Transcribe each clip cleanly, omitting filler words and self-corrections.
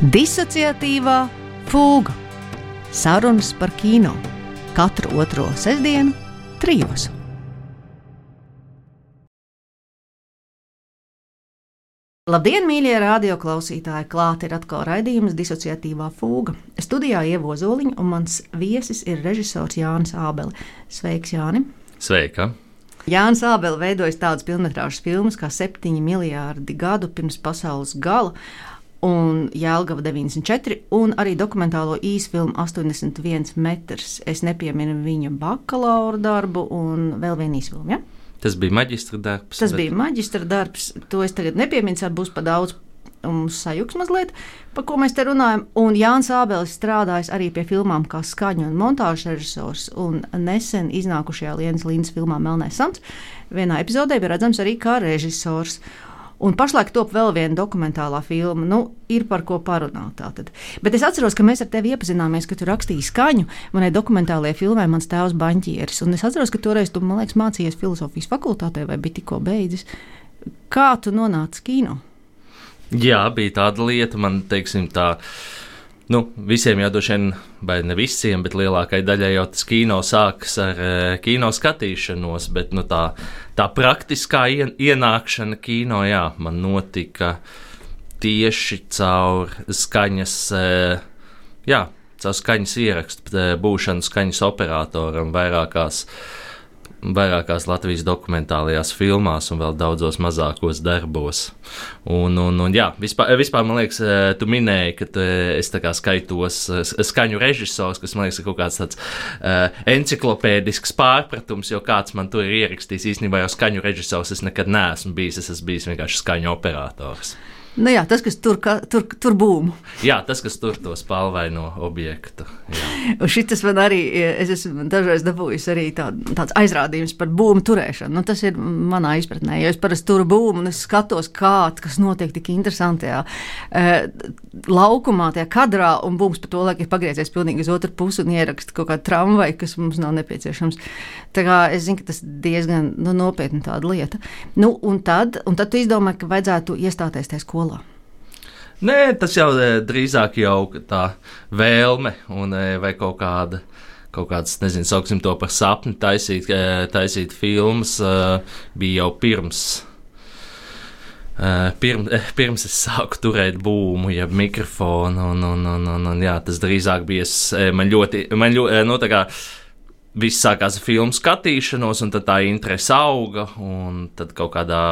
Disociatīvā fūga. Sarunas par kino. Katru otro sestdienu, 3. Labdien, mīļie radioklausītāji! Klāt ir atkal raidījums Disociatīvā fūga. Studijā Ieva Ozoliņa un mans viesis ir režisors Jānis Ābele. Sveiks, Jāni! Sveika! Jānis Ābele veidojis tādas pilnmetrāžas filmas kā 7 miljārdi gadu pirms pasaules gala un Jelgava 94, un arī dokumentālo īsfilmu 81 metrs. Es nepieminu viņa bakalaura darbu un vēl vienu īsfilmu, ja? Tas bija maģistra darbs. Bija maģistra darbs, to es tagad nepieminu, būs pa daudz sajuks mazliet, par ko mēs te runājam. Un Jānis Ābelis strādājis arī pie filmām kā skaņu un montāžu režisors, un nesen iznākušajā Lienas Līnas filmā Melnais Sants vienā epizodē bija redzams arī kā režisors. Un pašlaik top vēl viena dokumentālā filma, ir par ko parunāt tātad. Bet es atceros, ka mēs ar tevi iepazināmies, ka tu rakstīji skaņu manai dokumentālajai filmai Mans tēvs baņķieris. Un es atceros, ka toreiz tu, man liekas, mācījies filozofijas fakultātē vai bija tikko beidzis. Kā tu nonāci kino? Jā, bija tāda lieta, man teiksim tā, visiem jau droši vien, vai ne visiem, bet lielākai daļai jau tas kino sākas ar kino skatīšanos, bet tā praktiskā ienākšana kino, jā, man notika tieši caur skaņas, caur skaņas ierakstu, būšanu skaņas operatoram vairākās Latvijas dokumentālajās filmās un vēl daudzos mazākos darbos. Un vispār man liekas, tu minēji, ka es tā kā skaitos skaņu režisors, kas man liekas ir kaut kāds tāds enciklopēdisks pārpratums, jo kāds man tur ir ierakstījis. Īstenībā jau skaņu režisors es nekad neesmu bijis, es esmu bijis vienkārši skaņu operators. Jā, tas, kas tur būmu. Jā, tas, kas tur to spalvaino objektu. Jā. Un šitas man arī, es esmu dažreiz dabūjis arī tāds aizrādījums par būmu turēšanu. Tas ir manā izpratnē, jo es parasti turu būmu un es skatos, kas notiek tik interesantajā laukumā, tajā kadrā, un būms pa to laiku ir pagriezies pilnīgi uz otru pusi un ieraksta kaut kādu tramvaju, kas mums nav nepieciešams. Tā kā es zinu, ka tas diezgan nopietna tāda lieta. Un tad tu izdomāji, ka vajadzētu iestāties tajā skolā. Nē, tas jau drīzāk jau tā vēlme un vai kaut kāds, nezinu, sauksim to par sapni, taisīt filmas, bija jau pirms es sāku turēt būmu, jeb mikrofonu, un jā, tas drīzāk bija, man ļoti, tā kā viss sākās ar filmu skatīšanos, un tad tā interese auga, un tad kaut kādā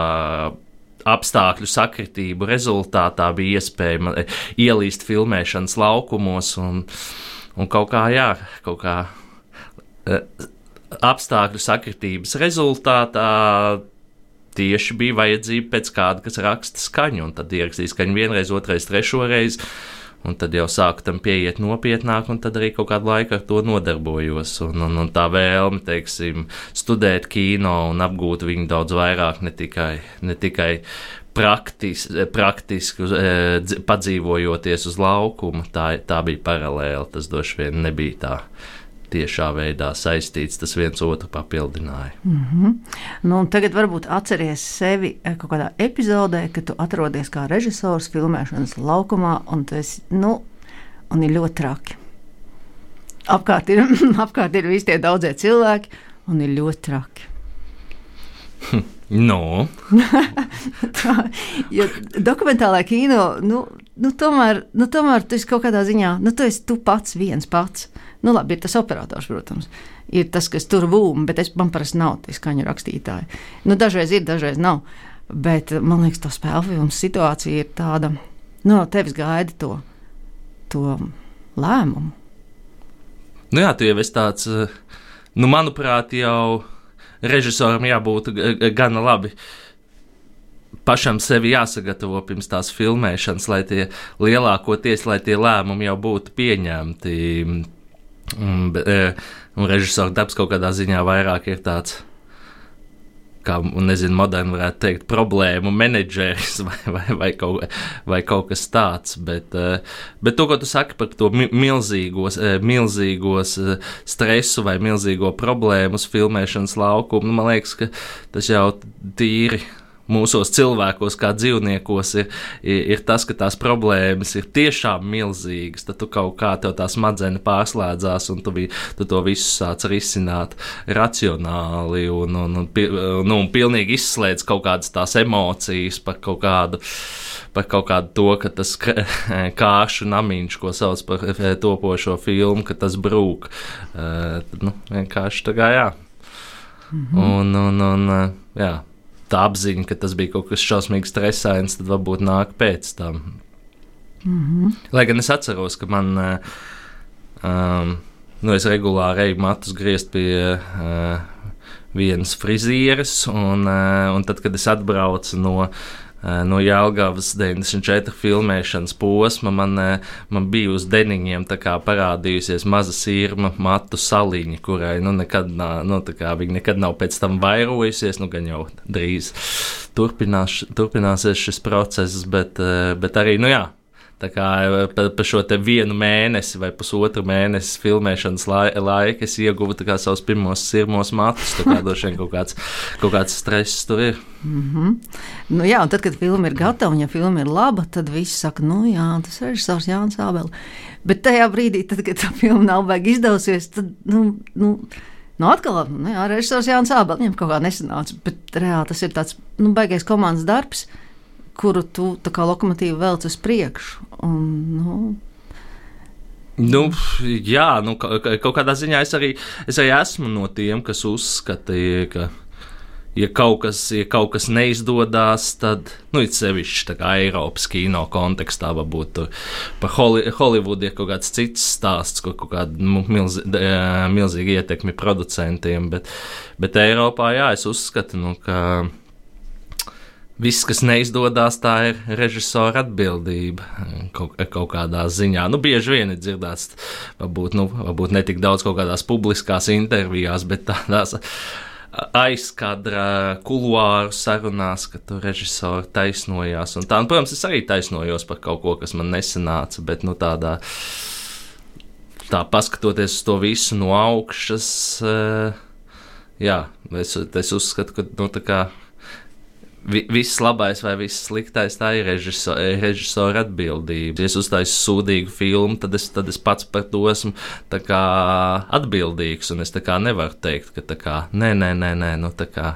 apstākļu sakritību rezultātā bija iespēja ielīst filmēšanas laukumos, un kaut kā apstākļu sakritības rezultātā tieši bija vajadzība pēc kāda, kas raksta skaņu, un tad ierakstīja skaņu vienreiz, otrais, trešoreiz, un tad jau sāku tam pieiet nopietnāk, un tad arī kaut kādu laiku ar to nodarbojos, un tā vēlme, teiksim, studēt kino un apgūt viņu daudz vairāk, ne tikai praktiski padzīvojoties uz laukuma, tā bija paralēli, tas droši vien nebija tā tiešā veidā saistīts, tas viens otru papildināja. Un tagad varbūt atceries sevi kaut kādā epizodē, kad tu atrodies kā režisors filmēšanas laukumā, un tas, un ir ļoti traki. Apkārt ir visi tie daudzie cilvēki, un ir ļoti traki. Jo dokumentālā kino, tomēr tu esi kaut kādā ziņā, tu esi tu pats viens pats. Labi, ir tas operators, protams, ir tas, kas tur būm, bet man parasti nav tie skaņu rakstītāji. Dažreiz ir, dažreiz nav, bet man liekas, tā spēļu filmas situācija ir tāda, tevis gaida to lēmumu. Jā, tu jau esi tāds, manuprāt, jau režisoram jābūt gana labi. Pašam sevi jāsagatavo pirms tās filmēšanas, lai tie lēmumi jau būtu pieņemti. Un režisora darbs kaut kādā ziņā vairāk ir tāds, kā, moderni varētu teikt, problēmu menedžeris vai kaut kas tāds. Bet to, ko tu saki par to milzīgos stresu vai milzīgo problēmu uz filmēšanas laukumu, man liekas, ka tas jau tīri mūsos cilvēkos, kā dzīvniekos, ir tas, ka tās problēmas ir tiešām milzīgas. Tad tu kaut kā tev tā smadzenes pārslēdzās, un tu to visu sāc risināt racionāli un pilnīgi izslēdz kaut kādas tās emocijas par kaut kādu to, ka tas kāršu namiņš, ko sauc par topošo filmu, ka tas brūk. Vienkārši tā kā jā. Jā. Tā apziņa, ka tas bija kaut kas šausmīgi stresains, tad varbūt nāk pēc tam. Lai gan es atceros, ka man, es regulāri eju matus griezt pie vienas frizieres, un tad, kad es atbraucu no Jelgavas 94 filmēšanas posma, man bija uz deniņiem tā kā parādījusies maza sirma matu saliņa, kurai viņa nekad nav pēc tam vairojusies, gan jau drīz turpināsies šis process, bet arī, tā kā pa šo te 1 mēnesi vai pusotru mēnesi filmēšanas laika es ieguvu tā kā savus pirmos sirmos matus, tā kā droši vien kaut kāds stress tur ir. Jā, un tad, kad filma ir gatava, un ja filma ir laba, tad visi saka, tas ir režisors Jānis Ābele. Bet tajā brīdī, tad, kad tā filma nav baigi izdevusies, tad, atkal, režisors Jānis Ābele, viņam kaut kā nesanāca, bet reāli tas ir tāds, baigais komandas darbs, kuru tu tā kā lokomotīvu velc uz priekšu. Kaut kādā ziņā es arī esmu no tiem, kas uzskatīja, ka ja kaut kas neizdodas, tad, it sevišķi tā kā Eiropas kino kontekstā varbūt par Holivudu ir kaut kāds cits stāsts, kur kaut kāda milzīga ietekmi producentiem, bet Eiropā, es uzskatu, ka viss, kas neizdodas, tā ir režisora atbildība kaut kādā ziņā. Bieži vien ir dzirdēts, varbūt ne tik daudz kaut kādās publiskās intervijās, bet tādās aizkadra kuluāru sarunās, ka tu režisori taisnojās. Un protams, es arī taisnojos par kaut ko, kas man nesanāca, bet tā paskatoties uz to visu no augšas, es uzskatu, ka tā kā viss labais vai viss sliktais, tā ir režisora atbildība. Ja es uztaisu sūdīgu filmu, tad es pats par to esmu tā kā atbildīgs, un es tā kā nevaru teikt, ka tā kā, nē, tā kā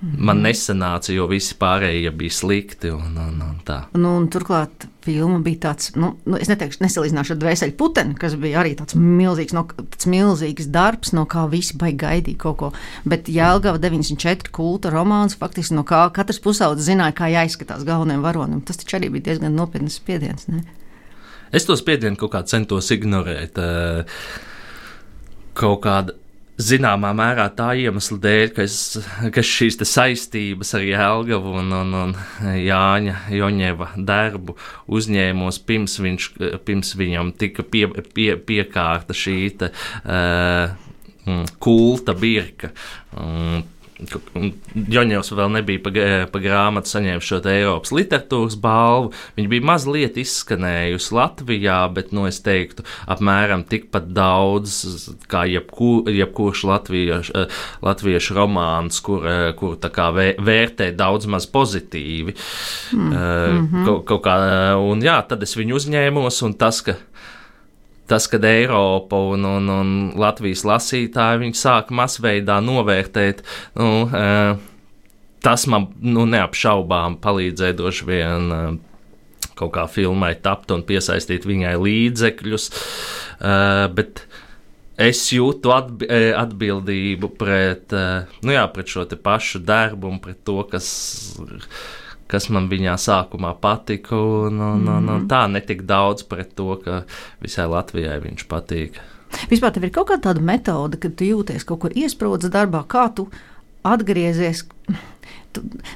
man nesanāca, jo visi pārējie bija slikti, un tā. Un turklāt filma bija tāds, es nesalīdzināšu ar Dvēseli puteni, kas bija arī tāds milzīgs darbs, no kā visi baigi gaidīja kaut ko, bet Jelgava 94 kulta romāns, faktiski no kā katrs pusaudzis zināja, kā jāizskatās galvenajam varonim. Tas taču arī bija diezgan nopietnas spiediens, ne? Es to spiedienu kaut kā centos ignorēt, kaut kāda zināmā mērā tā iemesla dēļ, ka šīs saistības ar Jelgavu un Jāņa Joņeva darbu uzņēmos pirms viņam tika piekārta šī kulta birka. Joņevs vēl nebija pa grāmatu saņēmis šo Eiropas literatūras balvu. Viņa bija mazliet izskanējusi Latvijā, bet, es teiktu, apmēram tikpat daudz, kā jebkurš latviešu romāns, kur tā kā vērtē daudz maz pozitīvi. Kaut kā, un tad es viņu uzņēmos, un kad Eiropa un Latvijas lasītāji viņi sāka masveidā novērtēt, tas man neapšaubām palīdzēja droši vien kaut kā filmai tapt un piesaistīt viņai līdzekļus, bet es jūtu atbildību pret šo te pašu darbu un pret to, kas man viņā sākumā patika, un tā netik daudz pret to, ka visai Latvijai viņš patīk. Vispār tev ir kaut kāda tāda metode, kad tu jūties kaut kur iesprūdis darbā, kā tu atgriezies?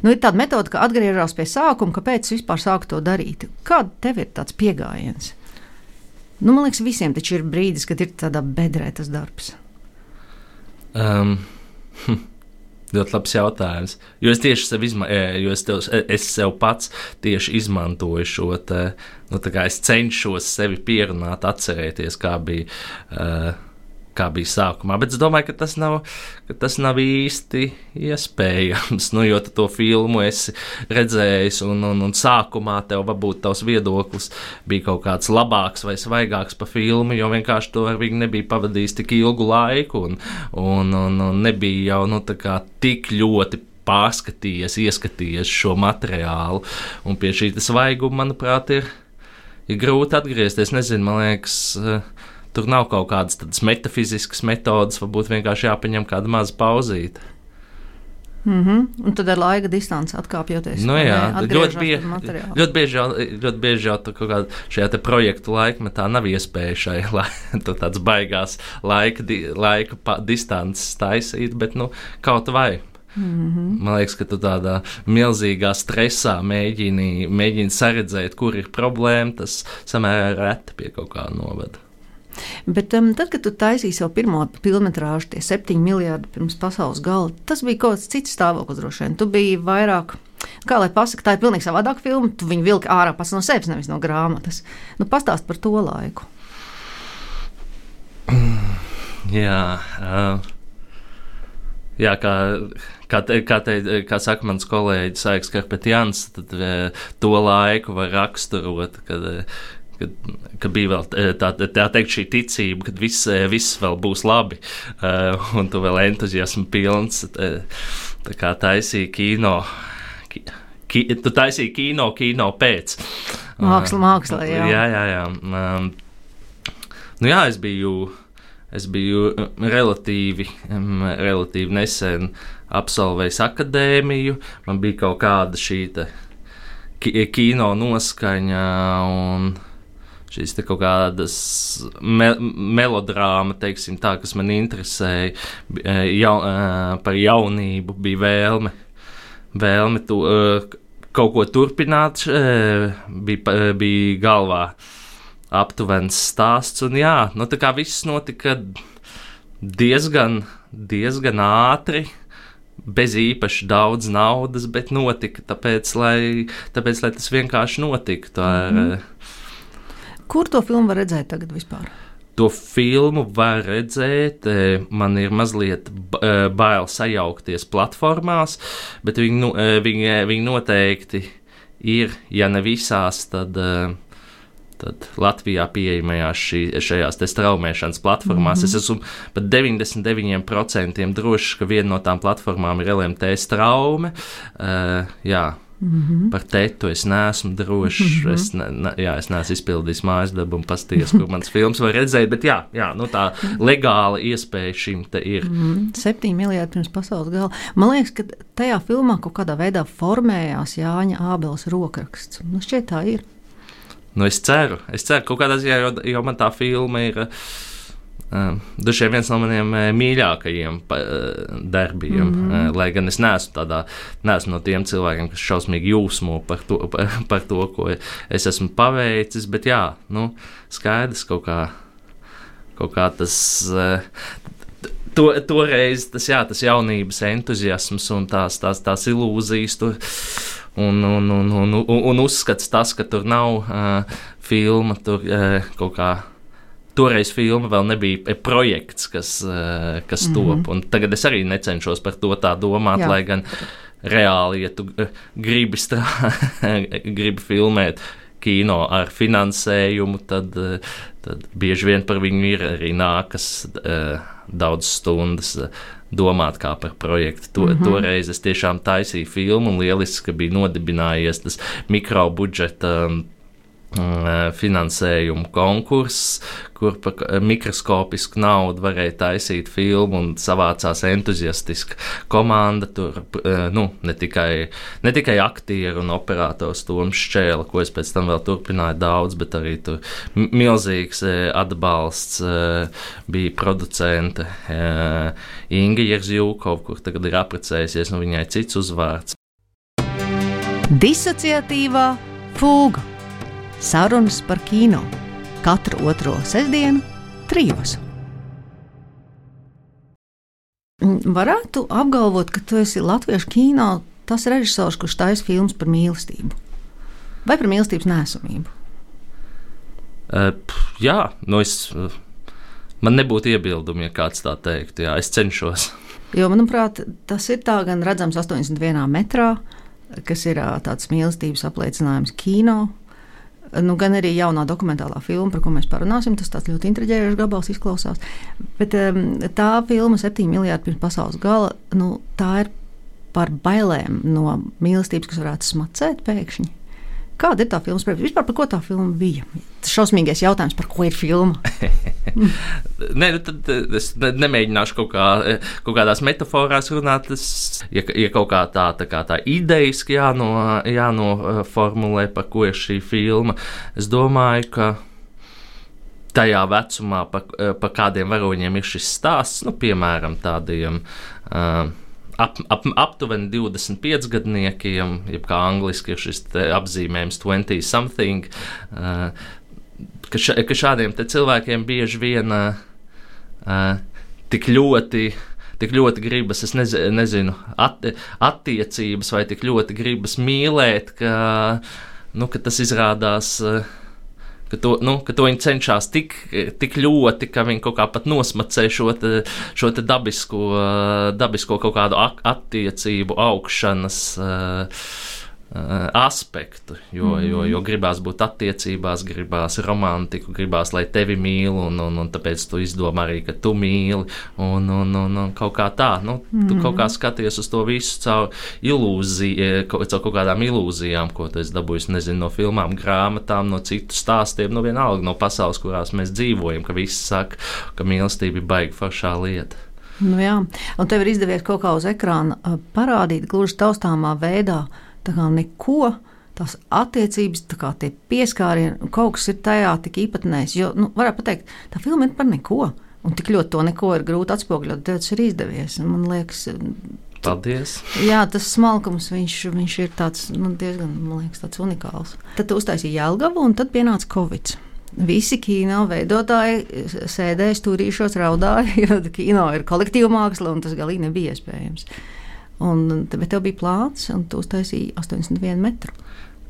Ir tāda metode, ka atgriežās pie sākuma, kāpēc vispār sāku to darīt. Kāda tev ir tāds piegājiens? Man liekas, visiem taču ir brīdis, kad ir tādā bedrē tas darbs. Ļoti labs jautājums. Jo es tieši es sev pats tieši izmantoju šo te, es cenšos sevi pierunāt, atcerēties, kā bija kā bija sākumā. Bet es domāju, ka tas nav īsti iespējams. Nu, jo tu to filmu esi redzējis, un sākumā tev varbūt tavs viedoklis bija kaut kāds labāks vai svaigāks par filmu, jo vienkārši to ar viņu nebija pavadījis tik ilgu laiku, un nebija jau tā kā tik ļoti pārskatījies, ieskatījies šo materiālu. Un pie šī svaiguma, manuprāt, ir grūti atgriezties. Nezinu, man liekas, tur nav kaut kādas tādas metafiziskas metodas, varbūt vienkārši jāpaņem kāda maza pauzīte. Un tad ar laika distanci atkāpjoties. Nu jā, ļoti bieži jau kaut kādā šajā te projektu laikmetā nav iespēja šai tāds baigās laika distances taisīt, bet kaut vai. Man liekas, ka tu tādā milzīgā stresā mēģini saredzēt, kur ir problēma, tas samērā reti pie kaut kā novada. Bet tad, kad tu taisīji savu pirmo filmetrāžu, tie 7 miljardi pirms pasaules gala, tas bija kaut kāds cits stāvoklis droši vien. Tu biji vairāk, kā lai pasaka, tā ir pilnīgi savādāka filma, tu viņu vilki ārā pats no sevis, nevis no grāmatas. Pastāst par to laiku. Jā, kā saka mans kolēģis Aiks Karpetjans, tad to laiku var raksturot, kad bija vēl tā teikt šī ticība, kad viss vēl būs labi, un tu vēl entuziasmu pilns, tā kā taisīja kino. Tu taisīji kino pēc. Māksla, jā. Jā. Jā, es biju relatīvi nesen absolvējis akadēmiju, man bija kaut kāda šī kino noskaņa un šīs kaut kādas melodrāma, teiksim tā, kas man interesēja, par jaunību bija vēlme kaut ko turpināt, bija galvā aptuvens stāsts, un tā kā viss notika diezgan ātri, bez īpaši daudz naudas, bet notika, tāpēc, lai tas vienkārši notiktu. Kur to filmu var redzēt tagad vispār? To filmu var redzēt, man ir mazliet bail sajaukties platformās, bet viņi noteikti ir, ja ne visās, tad Latvijā pieejamajās šajās straumēšanas platformās. Es esmu pat 99% drošs, ka viena no tām platformām ir LMT straume. Par tetu es neesmu drošs. Es neesmu izpildījis mājas darbu un pasties, kur mans films var redzēt, bet tā legāla iespēja šim te ir. 7 miljardi pirms pasaules gala. Man liekas, ka tajā filmā kaut kādā veidā formējās Jāņa Ābeles rokraksts. Šķiet tā ir. Es ceru, kaut kādā ziņā, jo man tā filma ir dažiem viens no maniem mīļākajiem darbiem, lai gan es neesmu no tiem cilvēkiem, kas šausmīgi jūsmo par to, ko es esmu paveicis, bet skaidrs kaut kā tas toreiz tas jaunības entuziasms un tās ilūzijas tur. Un uzskats tas, ka tur nav filma, tur kaut kā toreiz filma vēl nebija projekts, kas top. Un tagad es arī necenšos par to tā domāt, lai gan reāli, ja tu gribi filmēt kino ar finansējumu, tad bieži vien par viņu ir arī nākas daudz stundas domāt kā par projektu. Toreiz es tiešām taisīju filmu un lieliski, ka bija nodibinājies tas mikrobudžeta finansējumu konkurss, kur par mikroskopisku naudu varēja taisīt filmu un savācās entuziastiska komanda. Tur ne tikai aktieri un operators Toms Šķēla, ko es pēc tam vēl turpināju daudz, bet arī tur milzīgs atbalsts bija producente Inga Jerzjūkova, kur tagad ir apprecējusies, un viņai cits uzvārds. Disociatīvā fūga. Sarunas par kino. Katru otro sestdienu 3. Varētu apgalvot, ka tu esi latviešu kino tas režisors, kurš taisa filmas par mīlestību. Vai par mīlestības nesamību? Man nebūtu iebildumi, ja kāds tā teiktu. Jā, es cenšos. Jo, manuprāt, tas ir tā gan redzams 81 metrā, kas ir tāds mīlestības apliecinājums kino. Nu, gan arī jaunā dokumentālā filma, par ko mēs parunāsim. Tas tāds ļoti intriģējošs gabals izklausās. Bet tā filma 7 miljardi pirms pasaules gala, nu, tā ir par bailēm no mīlestības, kas varētu smacēt pēkšņi. Kāda ir tā filmas priekšstats? Vispār par ko tā filma bija? Tas šausmīgais jautājums, par ko ir filma? Nē, nu tad es nemēģināšu kaut kādās metaforās runāt. Ja kaut kā tā idejiski jānoformulē, par ko ir šī filma, es domāju, ka tajā vecumā, par kādiem varoņiem ir šis stāsts, nu, piemēram, tādiem aptuveni 25 gadniekiem, jeb kā angliski ir šis apzīmējums 20-something, ka šādiem te cilvēkiem bieži vien tik ļoti gribas, es nezinu, attiecības vai tik ļoti gribas mīlēt, ka tas izrādās, ka to viņi cenšas tik ļoti, ka viņi kaut kā pat nosmacē šo te dabisko kaut kādu attiecību augšanas aspektu, jo gribās būt attiecībās, gribās romantiku, gribās, lai tevi mīl, un tāpēc tu izdomā arī, ka tu mīli, un kaut kā tā, tu kaut kā skaties uz to visu caur ilūziju, caur kaut kādām ilūzijām, ko tu esi dabūjis, nezinu, no filmām, grāmatām, no citu stāstiem, vienalga no pasaules, kurās mēs dzīvojam, ka visi saka, ka mīlestība ir baigi foršā lieta. Nu jā, un tev ir izdevies kaut kā uz ekrāna parādīt gluži taustāmā veidā, tā kā neko, tās attiecības, tā kā tie pieskārieni, kaut kas ir tajā tik īpatnējs, jo, varētu pateikt, tā filma ir par neko, un tik ļoti to neko ir grūti atspogļot, tev tas ir izdevies, un man liekas... Paldies! Jā, tas smalkums, viņš ir tāds, diezgan, man liekas, tāds unikāls. Tad tu uztaisīji Jelgavu, un tad pienāca Covid. Visi kino veidotāji sēdēja, stūrīšos, raudāja, jo kino ir kolektīva māksla, un tas galīgi nebija iespējams. Bet tev bija plāns, un tu uztaisīji 81 metru.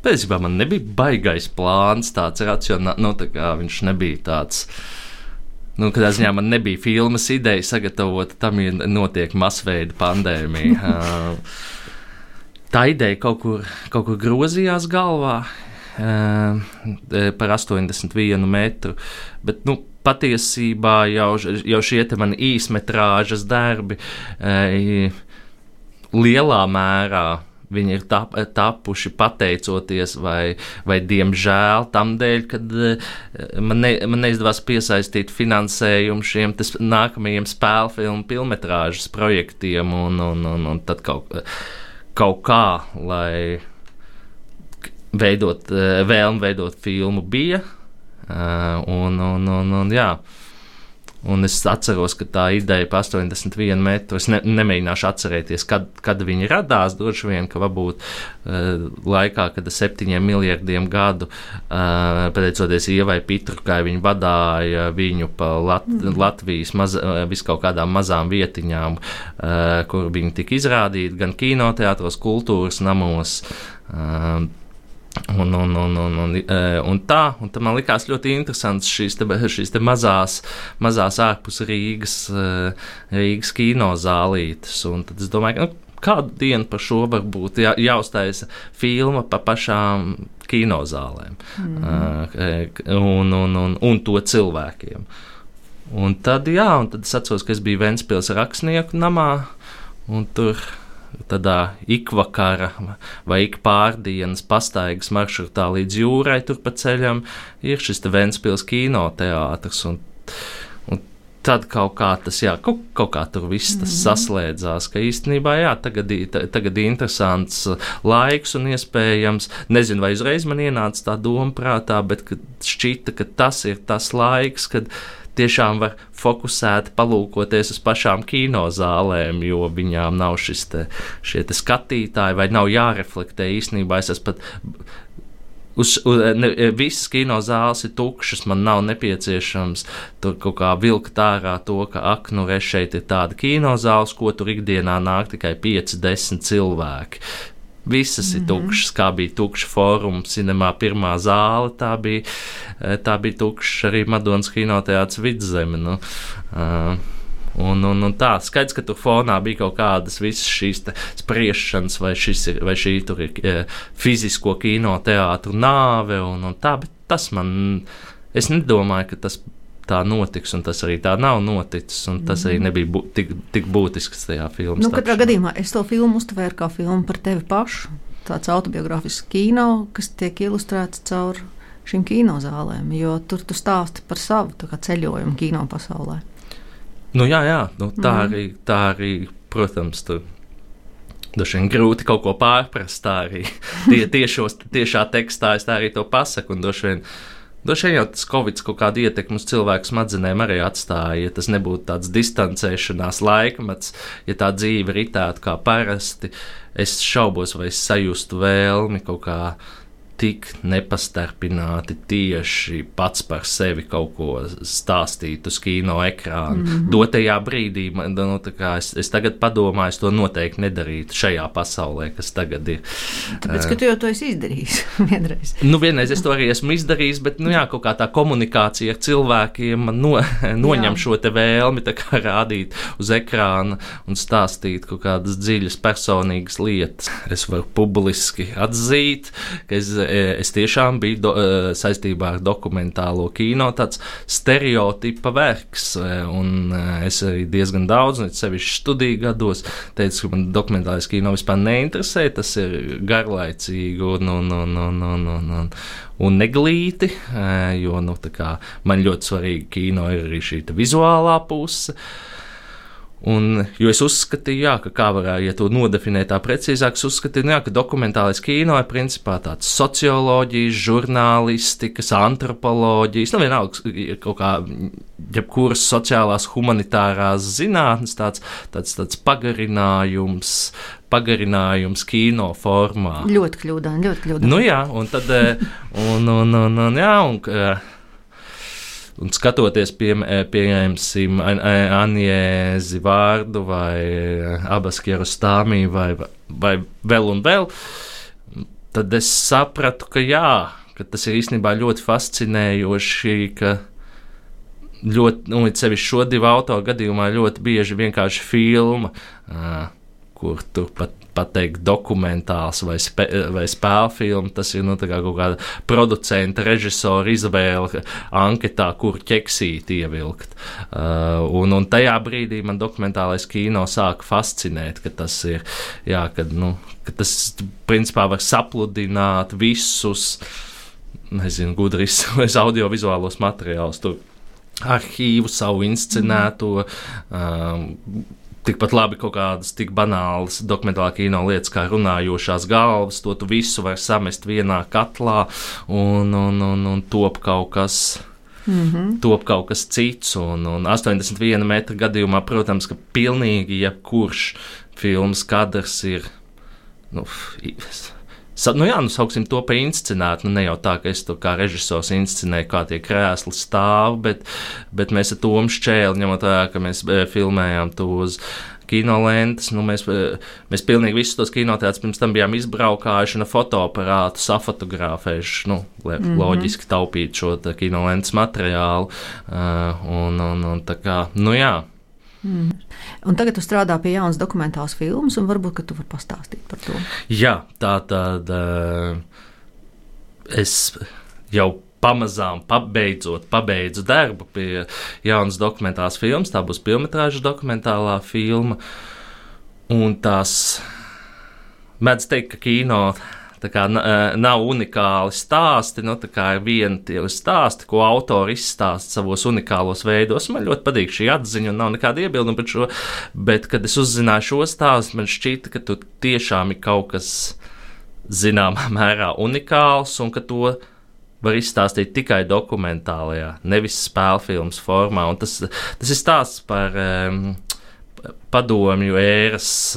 Pēcībā man nebija baigais plāns, tāds racionāls, tā kā viņš nebija tāds. Kādā ziņā man nebija filmas ideja sagatavot, tam ir notiek masveida pandēmija. Tā ideja kaut kur grozījās galvā par 81 metru, bet, patiesībā jau šie te mani īsmetrāžas darbi lielā mērā viņi ir tapuši pateicoties vai diemžēl tam dēļ, kad man neizdevās piesaistīt finansējumu šiem nākamajiem spēļu filmu filmetrāžas projektiem, un tad kaut kā, lai vēlme veidot filmu bija, un jā. Un es atceros, ka tā ideja par 81 metru, es nemēģināšu atcerēties, kad viņi radās, droši vien, ka varbūt laikā, kad 7 miljardiem gadu, pateicoties Ievai Pitrukai, viņi vadāja viņu pa Latvijas viskaut kādām mazām vietiņām, kur viņi tika izrādīti gan kinoteātros, kultūras namos, un tā man likās ļoti interesants šīs te mazās ārpus Rīgas kinozālītes, un tad es domāju, kādu dienu par šo varbūt jāuztaisa filma par pašām kinozālēm, un to cilvēkiem. Un tad es atceros, ka es biju Ventspils Rakstnieku namā, un tur tādā ikvakara vai ikpārdienas pastaigas maršrutā līdz jūrai tur pa ceļam ir šis te Ventspils kinoteātris, un tad kaut kā tas, kaut kā tur viss tas saslēdzās, ka īstenībā, tagad interesants laiks un iespējams, nezinu, vai uzreiz man ienāca tā doma prātā, bet šķita, ka tas ir tas laiks, kad tiešām var fokusēt, palūkoties uz pašām kinozālēm, jo viņām nav šie skatītāji, vai nav jāreflektē īstenībā. Es pat visas kinozāles ir tukšas, man nav nepieciešams tur kaut kā vilkt ārā to, ka šeit ir tāda kinozāles, ko tur ikdienā nāk tikai 5-10 cilvēki. Visas ir tukšas, kā bija tukša fóruma, cinemā pirmā zāle, tā bija tukša arī Madonas kinoteātris Vidzeme. Nu, un tā, skaidrs, ka tur fonā bija kaut kādas visas šīs spriešanas, vai šī tur ir fizisko kinoteātru nāve, un tā, bet tas es nedomāju, ka tas tā notiks, un tas arī tā nav noticis, un tas arī nebija tik būtisks tajā filmā. Nu, katrā gadījumā es to filmu uztvēru kā filmu par tevi pašu, tāds autobiogrāfisks kino, kas tiek ilustrēts caur šīm kinozālēm, jo tur tu stāsti par savu tā kā ceļojumu kino pasaulē. Nu jā, nu, tā arī, protams, tur dažs vien grūti kaut ko pārprast, tā arī tiešā tekstā es tā arī to pasaku, un dažs vien jau tas Covid kaut kādu ietekmi uz cilvēku smadzenēm arī atstāja, ja tas nebūtu tāds distancēšanās laikmets, ja tā dzīve ritētu kā parasti, es šaubos, vai es sajustu vēlmi kaut kā tik nepastarpināti tieši pats par sevi kaut ko stāstīt uz kino ekrāna. Dotajā brīdī, nu, es tagad padomāju, es to noteikti nedarītu šajā pasaulē, kas tagad ir. Tāpēc, ka tu jau to esi izdarījis vienreiz. Nu, vienreiz es to arī esmu izdarījis, bet, nu jā, kaut kā tā komunikācija ar cilvēkiem man noņem šo te vēlmi tā kā rādīt uz ekrāna un stāstīt kaut kādas dziļas personīgas lietas. Es varu publiski atzīt, ka es tiešām biju saistībā ar dokumentālo kino tāds stereotipa vergs, un es arī diezgan daudz, un sevišķi studiju gados, teicu, ka man dokumentālais kino vispār neinteresē, tas ir garlaicīgi un neglīti, jo, nu, tā kā man ļoti svarīgi kino ir arī šī vizuālā puse. Jo es uzskatīju, jā, ka kā varētu, ja to nodefinēt tā precīzāk, es uzskatīju, jā, ka dokumentālais kino ir principā tāds socioloģijas, žurnālistikas, antropoloģijas, nu vienalga kaut kā jebkuras sociālās humanitārās zinātnes, tāds pagarinājums kino formā. Ļoti kļūdaini. Nu jā, un tad, un skatoties, pieņemsim, Anjēzi vārdu vai Abas Kiarostami vai vēl un vēl, tad es sapratu, ka tas ir īstenībā ļoti fascinējoši, ka ļoti, it sevišķi šo divu autoru gadījumā ļoti bieži vienkārši filma, kur tur pateikt dokumentāls vai spēļu filmu, tas ir kaut kāda producenta, režisora izvēle anketā, kur ķeksīt ievilkt. Un tajā brīdī man dokumentālais kino sāka fascinēt, ka tas ir, ka tas principā var sapludināt visus, gudri izsaules audiovizuālos materiālus, tur arhīvu, savu inscenēto, tikpat labi kaut kādas tik banālas dokumentālā kino lietas kā runājošās galvas, to tu visu var samest vienā katlā un top kaut kas. Top kaut kas cits, un 81 metra gadījumā, protams, ka pilnīgi jebkurš filmas kadrs ir, sauksim to pa inscenēt, ne jau tā, ka es to kā režisors inscenēju, kā tie krēsli stāv, bet mēs ar Tomu Šķēli, ņemot vērā, ka mēs filmējām to uz kinolentes, mēs pilnīgi visus tos kinoteātrus pirms tam bijām izbraukājuši un ar fotoaparātu safotografējuši, loģiski taupīt šo kinolentes materiālu, un tā kā, jā. Un tagad tu strādā pie jaunas dokumentālas filmas, un varbūt, ka tu vari pastāstīt par to. Jā, tātad es jau pamazām pabeidzu darbu pie jaunas dokumentālas filmas, tā būs pilnmetrāža dokumentālā filma, un tās mēdz teikt, ka kino nav unikāli stāsti, tā kā ir viena tie stāsti, ko autori izstāsta savos unikālos veidos. Man ļoti patīk šī atziņa un nav nekāda iebilduma par šo, bet, kad es uzzināju šo stāstu, man šķita, ka tur tiešām ir kaut kas zināmā mērā unikāls un ka to var izstāstīt tikai dokumentālajā, nevis spēļu filmas formā. Un tas ir stāsts par padomju ēras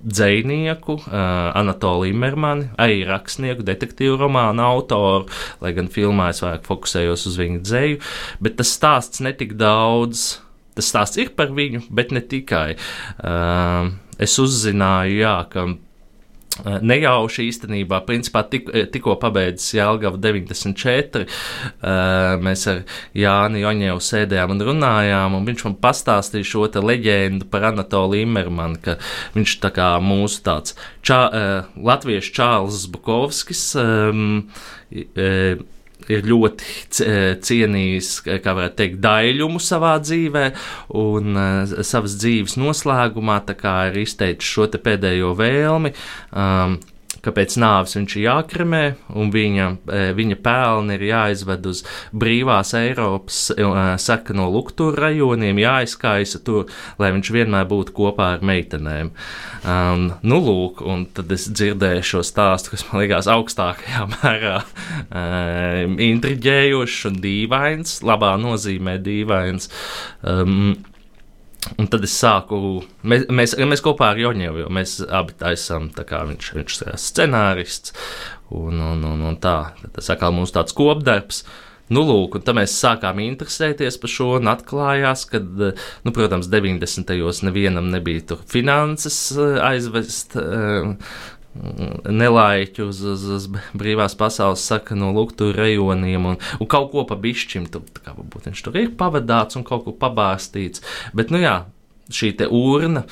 dzejnieku Anatoliju Immermani, arī rakstnieku, detektīvu romānu autoru, lai gan filmā es vairāk fokusējos uz viņu dzeju, bet tas stāsts netik daudz, tas stāsts ir par viņu, bet ne tikai. Es uzzināju, ka nejauši īstenībā. Principā tikko pabeidzis Jelgava 94. Mēs ar Jāni Joņevu sēdējām un runājām, un viņš man pastāstīja šo te leģendu par Anatolu Immermanu, ka viņš tā kā mūsu tāds latviešu Čārls Bukovskis ir ļoti cienījis, kā varētu teikt, daļumu savā dzīvē, un savas dzīves noslēgumā tā kā ir izteicis šo te pēdējo vēlmi, ka pēc nāves viņš ir jākremē, un viņa pēlni ir jāizved uz brīvās Eiropas sarkano lukturu rajoniem, jāizkaisa tur, lai viņš vienmēr būtu kopā ar meitenēm. Nu, lūk, un tad es dzirdēju šo stāstu, kas man likās augstākajā mērā intriģējošs un dīvains, labā nozīmē dīvains. Un tad es sāku, mēs kopā ar Joņevu, jo mēs abi taisām, tā kā viņš ir scenārists, un tā, tas atkal mums tāds kopdarbs. Nu, lūk, un tad mēs sākām interesēties par šo, un atklājās, ka, nu, protams, 90. nevienam nebija tur finanses aizvest nelaiķu uz brīvās pasaules sarkano lukturu rajoniem, un kaut ko pa bišķim, kā varbūt viņš tur ir pavadāts un kaut ko pabārstīts, bet, nu jā, šī te urna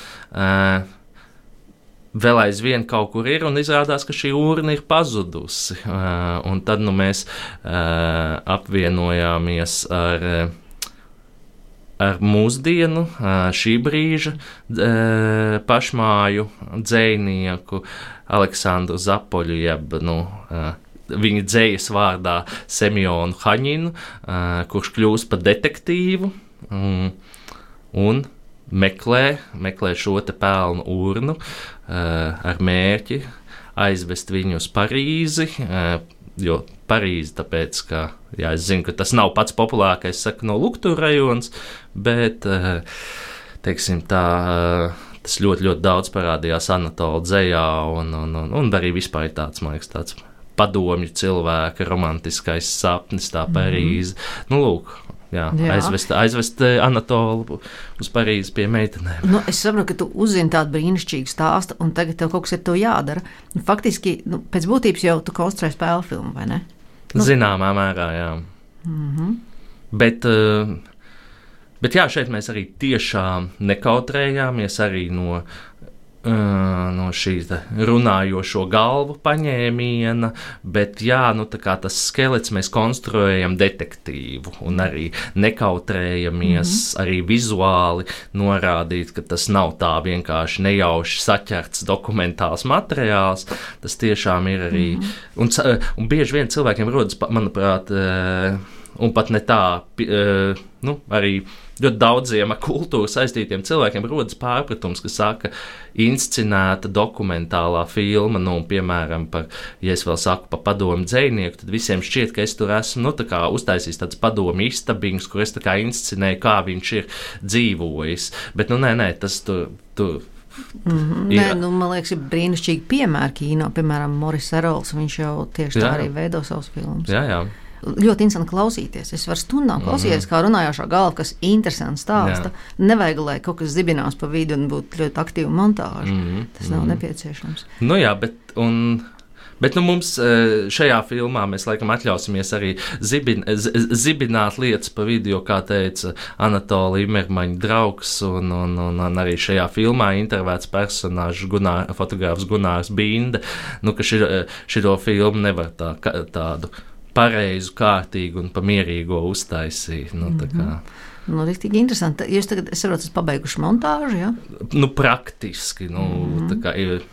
vēl aizvien kaut kur ir, un izrādās, ka šī urna ir pazudusi, un tad, nu, mēs apvienojāmies ar mūsdienu, šī brīža pašmāju dzejnieku Aleksandru Zapoļu, jeb, nu, viņa dzejas vārdā Semjonu Haņinu, kurš kļūst par detektīvu un meklē šo te pelnu urnu ar mērķi aizvest viņu uz Parīzi, jo Parīzi, tāpēc, ka, jā, es zinu, ka tas nav pats populārākais sarkano lukturu rajons, bet, teiksim tā, tas ļoti, ļoti daudz parādījās Anatola dzejā, un arī vispār ir tāds, man liekas, tāds padomju cilvēka romantiskais sapnis, tā Parīze. Nu, lūk, jā. Aizvest Anatolu uz Parīzi pie meitenēm. Nu, es saprotu, ka tu uzzini tādu brīnišķīgu stāstu, un tagad tev kaut kas ar to jādara. Nu, faktiski, nu, pēc būtības jau tu konstruēji spēļu filmu, vai ne? Nu. Zināmā mērā, jā. Bet jā, šeit mēs arī tiešām nekautrējāmies arī no šī runājošo galvu paņēmiena, bet jā, nu tā kā tas skelets mēs konstruējam detektīvu un arī nekautrējamies arī vizuāli norādīt, ka tas nav tā vienkārši nejauši saķerts dokumentāls materiāls, tas tiešām ir arī, un bieži vien cilvēkiem rodas, manuprāt, un pat ne tā, nu, arī ļoti daudziem ar kultūru saistītiem cilvēkiem rodas pārpratums, ka saka inscenēta dokumentālā filma, nu, piemēram, ja es vēl saku par padomu dzejnieku, tad visiem šķiet, ka es tur esmu, nu, tā kā uztaisījis tāds padomu istabiņus, kur es tā kā inscenēju, kā viņš ir dzīvojis, bet, nu, nē, tas tur Nē, nu, man liekas, ir brīnišķīgi piemēri kino, piemēram, Moris Erols, viņš jau tieši tā arī veido savus filmus. Jā. Ļoti interesanti klausīties. Es varu stundām klausīties, kā runājošā galva, kas interesants stāsta. Nevajag, lai kaut kas zibinās pa vidu un būtu ļoti aktīva montāža. Tas nav nepieciešams. Nu jā, bet nu, mums šajā filmā mēs laikam atļausimies arī zibināt lietas pa vidu, jo, kā teica Anatola Immermaņa draugs, un arī šajā filmā intervēts personāžs fotogrāfs Gunārs Binde, nu, ka šito filmu nevar tādu pareizu, kārtīgu un pamierīgo uztaisīt. Nu, tā kā. Nu, riktīgi interesanti. Jūs tagad, es saprotu, pabeiguši montāžu, ja? Nu, praktiski. Nu, tā kā ir,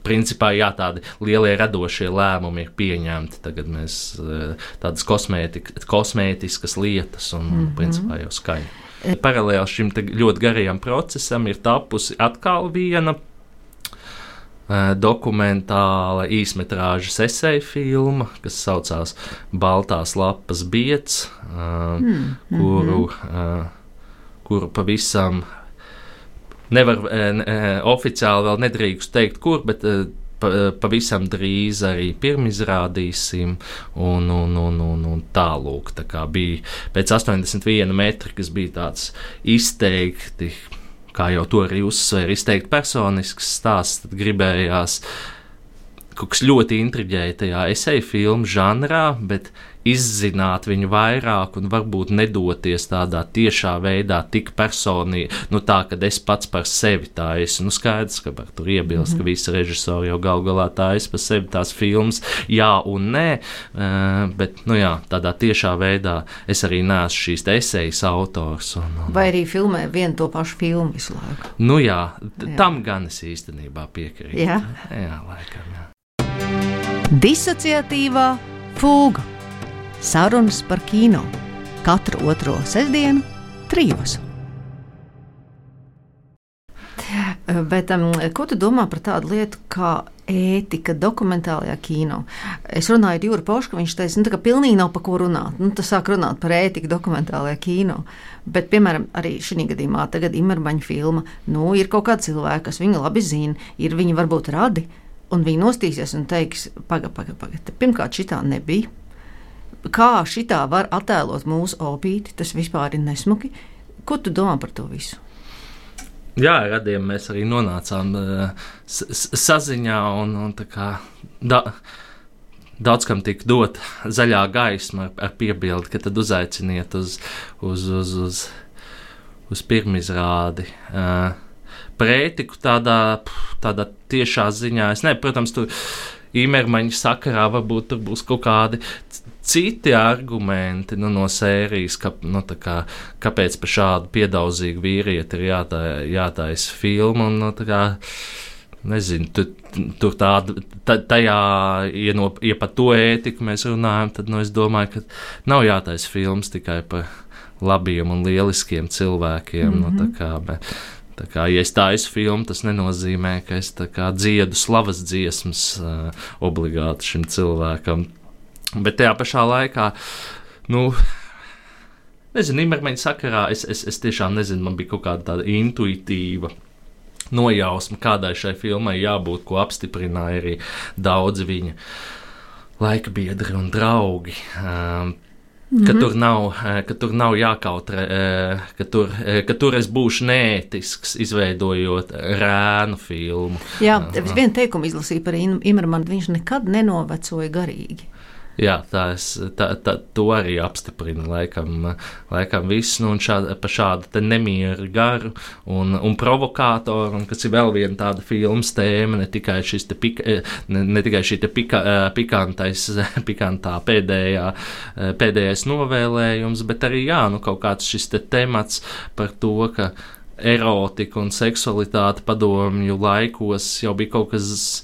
principā, jā, tādi lielie radošie lēmumi ir pieņemti. Tagad mēs tādas kosmētiskas lietas un, principā, jau skaņa. Paralēli šim ļoti garajam procesam ir tapusi atkal viena dokumentāla īsmetrāžas eseja filma, kas saucās Baltās lapas biets, kuru pavisam nevar oficiāli vēl nedrīkst teikt, kur, bet pavisam drīz arī pirmizrādīsim, un tālūk, tā kā bija pēc 81 metri, kas bija tāds izteikti, kā jau to arī uzsver, izteikti personisks stāsts, tad gribējās kaut kas ļoti intriģēja tajā esēju filmu žanrā, bet izzināt viņu vairāk un varbūt nedoties tādā tiešā veidā tik personīgi, tā, kad es pats par sevi tā esmu, skaidrs, ka var tur iebilst, ka visi režisori jau gal galā tā es par sevi tās filmas, jā un nē, bet, jā, tādā tiešā veidā es arī neesmu šīs esējas autors. Vai arī filmē vienu to pašu filmu visu laiku? Jā, tam gan es īstenībā piekrītu. Jā, laikam, jā. Disociatīvā fūga. Sarunas par kino. Katru otro sestdienu 3. Bet ko tu domā par tādu lietu kā ētika dokumentālajā kino? Es runāju ar Jūru Pošku, viņš teica, ka pilnīgi nav pa ko runāt. Tas sāk runāt par ētiku dokumentālajā kino. Bet, piemēram, arī šī gadījumā tagad Imermaņa filma, ir kaut kādi cilvēki, kas viņu labi zina, viņi varbūt radi, un viņi nostīsies un teiks, paga, pirmkārt šitā nebija. Kā šitā var attēlot mūsu opīti, tas vispār ir nesmuki. Ko tu domā par to visu? Jā, radiem mēs arī nonācām saziņā un tā kā daudz kam tika dot zaļā gaisma ar piebildi, ka tad uzaiciniet uz pirmizrādi. Par ētiku tādā tiešā ziņā, protams, tur Imermaņa sakarā varbūt tur būs kaut kādi citi argumenti no sērijas, kāpēc par šādu piedauzīgu vīrieti ir jātaisa filma. Nezinu, tur tajā, ja par to ētiku mēs runājam, tad es domāju, ka nav jātaisa filmas tikai par labiem un lieliskiem cilvēkiem. Ja es taisu filmu, tas nenozīmē, ka es dziedu slavas dziesmas obligāti šim cilvēkam. Bet tajā pašā laikā, nezinu, Imermaņa sakarā es tiešām nezinu, man bija kaut kāda tāda intuitīva nojausma, kādai šai filmai jābūt, ko apstiprināja arī daudzi viņa laika biedri un draugi. Ka tur nav jākautrē, ka tur es būšu neētisks, izveidojot rēnu filmu. Jā, es vienu teikumu izlasīju par Imermanu, viņš nekad nenovecoja garīgi. Jā, to arī apstiprina laikam viss, un par šādu te nemieru garu un provokātoru, un kas ir vēl viena tāda filmas tēma, ne tikai šī pikantā pēdējais novēlējums, bet arī, kaut kāds šis te temats par to, ka erotika un seksualitāte padomju laikos jau bija kaut kas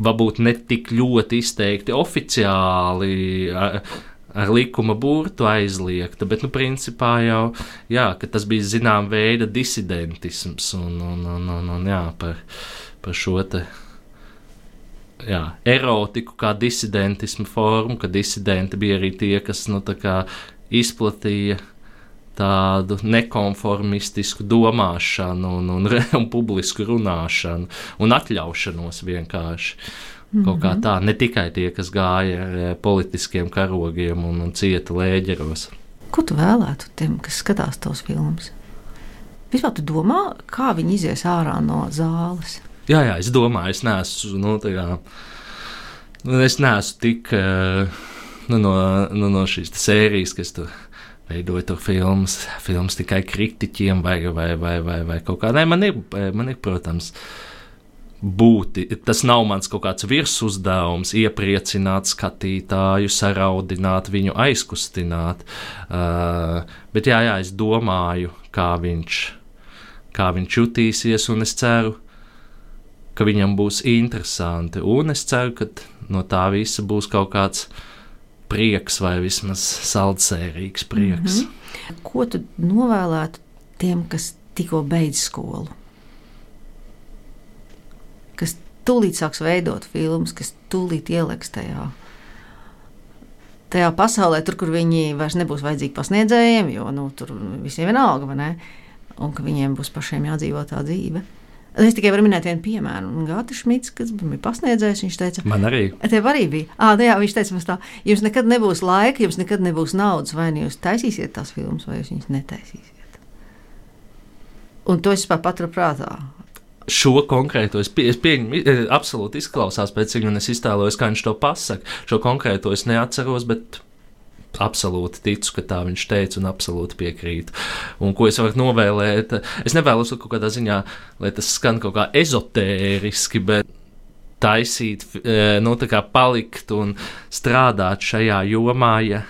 varbūt ne tik ļoti izteikti oficiāli ar likuma burtu aizliegta, bet, principā jau, ka tas bija zinām veida disidentisms un par šo te, erotiku kā disidentismu formu, ka disidenti bija arī tie, kas, izplatīja tādu nekonformistisku domāšanu un publisku runāšanu un atļaušanos vienkārši. Kaut kā tā, ne tikai tie, kas gāja ar politiskiem karogiem un cieta lēģeros. Ko tu vēlētu tiem, kas skatās tos filmas? Vispār tu domā, kā viņi izies ārā no zāles? Jā, es domāju, es neesmu, es neesmu tik no šīs sērijas, kas tur veidoja tur filmas tikai kritiķiem vai kaut kā. Nē, man ir, protams, tas nav mans kaut kāds virsuzdevums, iepriecināt skatītāju, saraudināt viņu, aizkustināt. Bet jā, es domāju, kā viņš jutīsies, un es ceru, ka viņam būs interesanti. Un es ceru, ka no tā visa būs kaut kāds prieks vai vismaz saldsērīgs prieks. Ko tu novēlētu tiem, kas tikko beidz skolu? Kas tūlīt sāks veidot filmas, kas tūlīt ieliks tajā pasaulē, tur, kur viņi vairs nebūs vajadzīgi pasniedzējiem, jo tur visiem vienalga, vai ne? Un ka viņiem būs pašiem jādzīvo tā dzīve. Es tikai varu minēt vienu piemēru. Gātis Šmits, kas bija pasniedzējis, viņš teica, man arī. Tev arī bija. Jā, viņš teica mums tā, jums nekad nebūs laika, jums nekad nebūs naudas, vai jūs taisīsiet tās filmas, vai jūs viņas netaisīsiet. Un to es paturu prātā. šo konkrēto, es pieņemu, absolūti izklausās pēc viņa, un es iztēlojos, kā viņš to pasaka. Šo konkrēto es neatceros, bet absolūti ticu, ka tā viņš teica, un absolūti piekrītu. Un ko es varu novēlēt? Es nevēlos kaut kādā ziņā, lai tas skan kaut kā ezotēriski, bet taisīt, tā kā palikt un strādāt šajā jomā, ja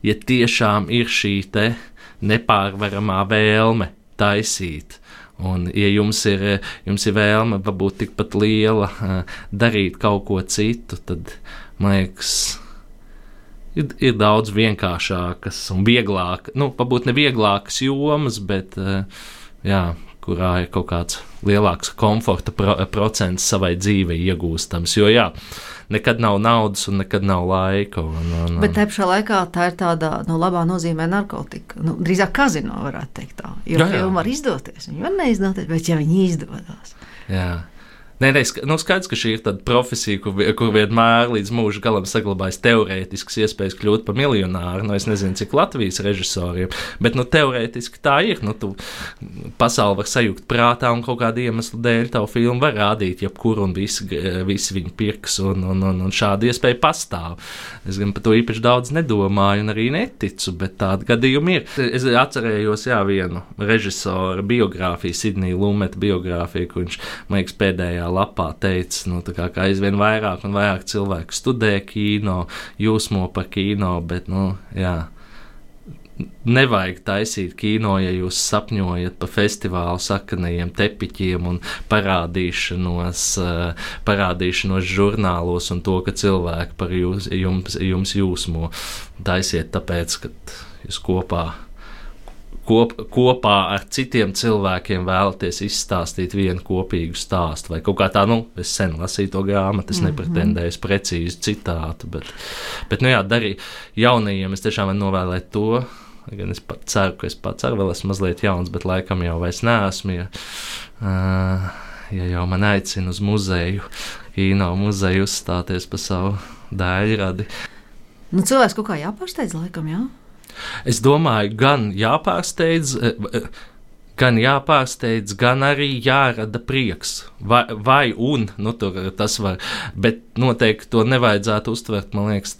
tiešām ir šī te nepārvaramā vēlme taisīt. Un, ja jums ir vēlme varbūt tikpat liela darīt kaut ko citu, tad, man liekas, ir daudz vienkāršākas un vieglākas, varbūt ne vieglākas jomas, bet, kurā ir kaut kāds lielāks komforta procents savai dzīvei iegūstams, jo, nekad nav naudas un nekad nav laika. Bet te pašā laikā tā ir tāda, labā nozīmē narkotika. Drīzāk kazino varētu teikt tā. Jo filma var izdoties, viņa var neizdoties, bet ja viņi izdodas. Jā. Nē, skaidrs, ka šī ir tāda profesija, kur vienmēr līdz mūža galam saglabājas teorētiskas iespējas kļūt par miljonāru. Es nezinu, cik Latvijas režisoriem, bet teorētiski tā ir. Tu pasauli var sajūgt prātā un kaut kādu iemeslu dēļ tavu filmu var rādīt jebkur un visi viņu pirks un šāda iespēja pastāv. Es gan par to īpaši daudz nedomāju un arī neticu, bet tāda gadījuma ir. Es atcerējos, vienu režisoru biogrāfiju, Sidnija Lumeta biogrāfiju, kur viņš, man liekas, pēdējā lapā teica, kā aizvien vairāk un vairāk cilvēku studē kino, jūsmo par kino, bet, nevajag taisīt kino, ja jūs sapņojat par festivālu sakanajiem tepiķiem un parādīšanos žurnālos un to, ka cilvēki par jums jūsmo. Taisiet tāpēc, ka jūs kopā ar citiem cilvēkiem vēlaties izstāstīt vienu kopīgu stāstu. Vai kaut kā tā, es sen lasīju to grāmatu, es nepretendēju precīzi citātu, bet darīju jaunajiem, es tiešām varu novēlēt to, gan es pat ceru, ka es pats arī vēl esmu mazliet jauns, bet laikam jau vairs neesmu, ja jau man aicina uz muzeju, kino muzeju uzstāties par savu dēļradi. Cilvēks kaut kā jāpārsteidz laikam, jā? Es domāju, gan jāpārsteidz, gan arī jārada prieks. Vai tas var, bet noteikti to nevajadzētu uztvert, man liekas,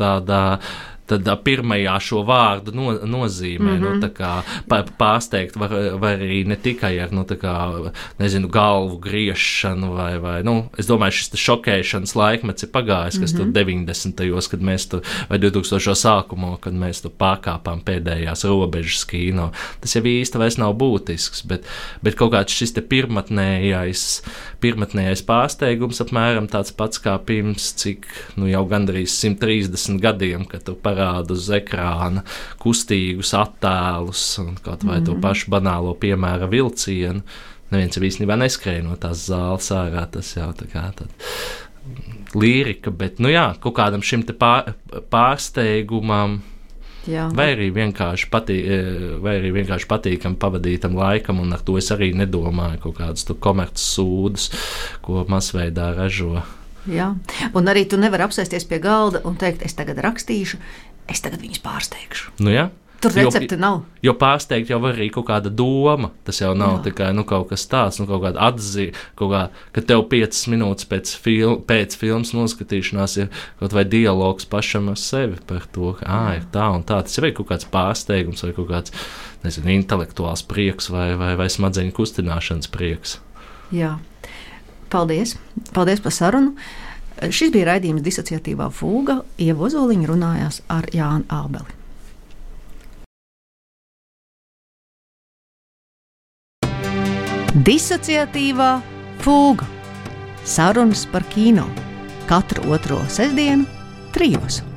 tādā pirmajā šo vārdu nozīmē. Tā kā pārsteigt var arī ne tikai ar, galvu griešanu vai es domāju, šis šokēšanas laikmets ir pagājis, kas tur 90. kad mēs tur, vai 2000. sākumo, kad mēs tur pārkāpām pēdējās robežas kino. Tas jau īsti vairs nav būtisks, bet kaut kāds šis te pirmatnējais pārsteigums apmēram tāds pats kā pirms, cik, jau gandrīz 130 gadiem, kad tu parāda uz ekrāna kustīgus attēlus un kaut vai to pašu banālo piemēra vilcienu. Neviens jau īstenībā neskrēja no tās zāles ārā, tas jau tā kā līrika, bet, kaut kādam šim te pārsteigumam, vai arī vienkārši patīkam pavadītam laikam, un ar to es arī nedomāju kaut kādus komerces sūdus, ko masveidā ražo. Jā, un arī tu nevari apsēsties pie galda un teikt, es tagad rakstīšu, es tagad viņus pārsteigšu. Tur recepte nav. Jo pārsteigt jau var arī kaut kāda doma. Tas jau nav tikai kaut kas tāds, kaut kāda atzīme, ka tev 5 minūtes pēc filmas noskatīšanās ir kaut vai dialogs pašam ar sevi par to, ka ir tā un tā. Tas jau ir kaut kāds pārsteigums vai kaut kāds, intelektuāls prieks vai smadzeņu kustināšanas prieks. Jā. Paldies! Paldies par sarunu! Šis bija raidījums Disociatīvā fūga. Ieva Ozoliņa runājās ar Jānu Ābeli. Disociatīvā fūga. Sarunas par kino. Katru otro sestdienu 3.